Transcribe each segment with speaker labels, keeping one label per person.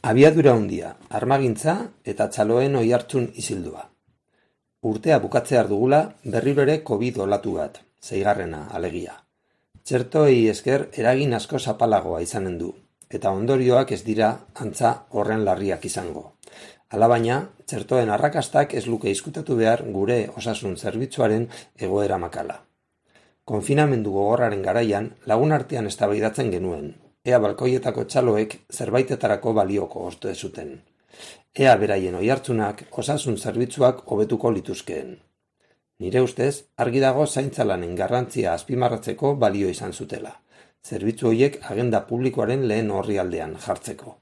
Speaker 1: Abiadura handia, armagintza eta txaloen oihartzun izildua. Urtea bukatzear dugula berriro ere COVID olatu bat, 6. alegia. Txertoei esker eragin asko zapalagoa izanen du, eta ondorioak ez dira antza horren larriak izango. Alabaina, txertoen arrakastak ez luke izkutatu behar gure osasun zerbitzuaren egoera makala. Konfinamendu gogorraren garaian lagun artean eztabaidatzen genuen, ea balkoietako txaloek zerbaitetarako balioko oste zuten. Ea beraien oihartzunak osasun zerbitzuak hobetuko lituzkeen. Nire ustez, argi dago zaintzalanen garrantzia azpimarratzeko balio izan zutela, zerbitzu horiek agenda publikoaren lehen orrialdean jartzeko.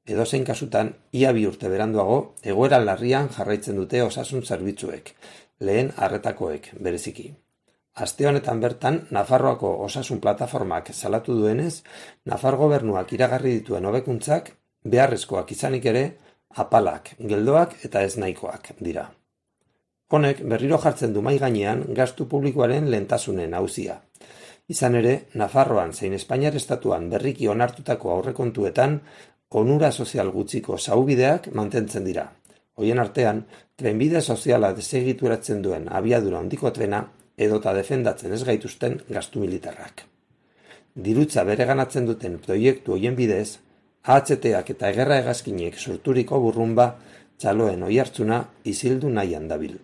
Speaker 1: Edozein kasutan, ia 2 urte beranduago, egoera larrian jarraitzen dute osasun zerbitzuek, lehen arretakoek bereziki. Aste honetan bertan, Nafarroako osasun plataformak salatu duenez, Nafar gobernuak iragarri dituen hobekuntzak, beharrezkoak izanik ere, apalak, geldoak eta ez nahikoak dira. Honek berriro jartzen du mahai gainean gastu publikoaren lehentasunen auzia. Izan ere, Nafarroan zein Espainiar estatuan berriki onartutako aurrekontuetan, onura sozial gutxiko saubideak mantentzen dira. Hoien artean, trenbide soziala desegituratzen duen abiadura handiko trena, edota defendatzen ez gaituzten gastu militarrak. Dirutza bereganatzen duten proiektu hoien bidez, AHT-ak eta egerra hegazkinek sorturiko burrunba txaloen oihartzuna izildu nahian dabil.